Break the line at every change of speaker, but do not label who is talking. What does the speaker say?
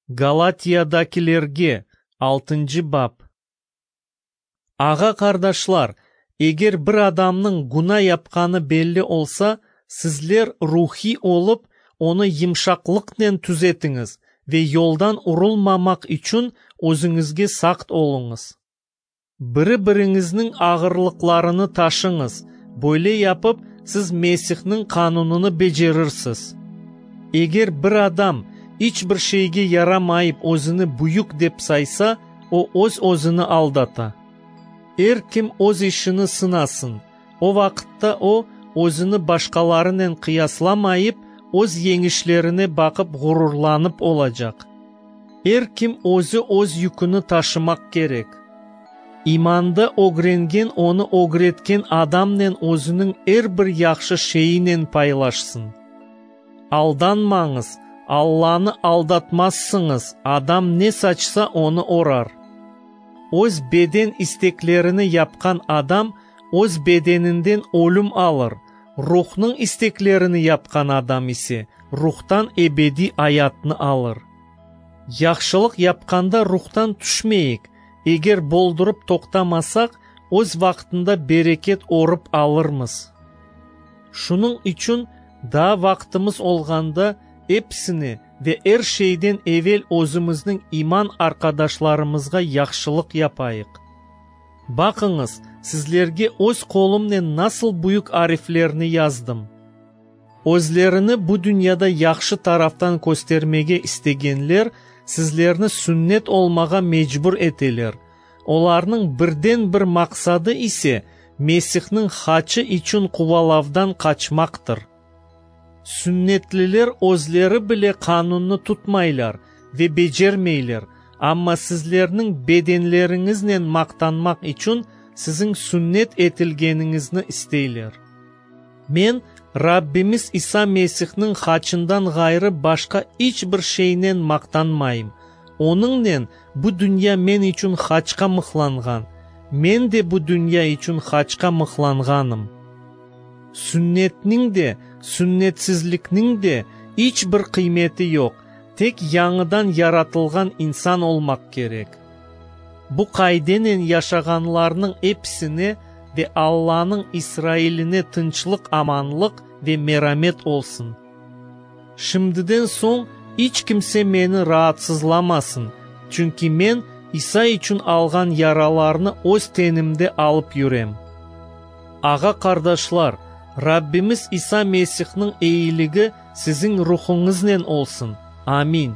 Galatiyadakilerge, altıncı bap. Ağa-qardaşlar, eger bir adamnıñ güna yapqanı belli olsa, sizler ruhiy olıp, onı yımşaqlıqnen tüzetiñiz ve yoldan urulmamaq içün özüñizge saqt oluñız. Biri-biriñizniñ ağırlıqlarını taşıñız, böyle yapıp, siz Mesihniñ qanunını becerirsiz. Eger bir adam iç bir şeyge yaramayıp özüni büyük dep saysa, o öz-özüni aldata. Er kim öz işini sınasın, o vaqıtta o, özüni başqalarınen qıyaslamayıp, öz yeñişlerine baqıp ğururlanıp olacaq. Er kim özü öz yüküni taşımaq kerek. İmanda ögrengen onı ögretken adamnen özüniñ er bir yahşı şeyinen paylaşsın. Aldanmañız, Allanı aldatmazsıñız, adam ne saçsa, onı orar. Öz beden isteklerini yapqan adam öz bedeninden ölüm alır, Ruhnıñ isteklerini yapqan adam ise Ruhtan ebediy ayatnı alır. Yahşılıq yapqanda ruhtan tüşmeyik, eger boldurıp toqtamasaq, öz vaqtında bereket orıp alırmız. Şunıñ içün daa vaqtımız olğanda episine ve er şeyden evel özümizniñ iman arqadaşlarımızğa yahşılıq yapayıq. Baqıñız, sizlerge öz qolumnen nasıl büyük ariflerni yazdım. Özlerini bu dünyada yahşı taraftan köstermege istegenler sizlerni sünnet olmağa mecbur eteler. Olarnıñ birden-bir maqsadı ise Mesihniñ haçı içün quvalavdan qaçmaqtır. Sünnetliler özleri bile qanunnı tutmaylar ve becermeyler, amma sizlerniñ bedenleriñiznen maqtanmaq içün siziñ sünnet etilgeniñizni isteyler. Men Rabbimiz İsa Mesihniñ haçından ğayrı başqa iç bir şeynen maqtanmayım. Onıñnen bu dünya men içün haçqa mıhlanğan, men de bu dünya içün haçqa mıhlanğanım. Sünnetniñ de, sünnetsizlikniñ de iç bir qıymeti yoq, tek yañıdan yaratılğan insan olmaq kerek. Bu qaidenen yaşağanlarnıñ episine ve Allanıñ İsrailine tınçlıq-amanlıq ve meramet olsun. Şimdiden soñ iç kimse meni raatsızlamasın, çünki men İsa içün alğan yaralarnı öz tenimde alıp yürem. Ağa-qardaşlar, Rabbimiz İsa Mesihniñ eyiligi siziñ ruhuñıznen olsun. Amin.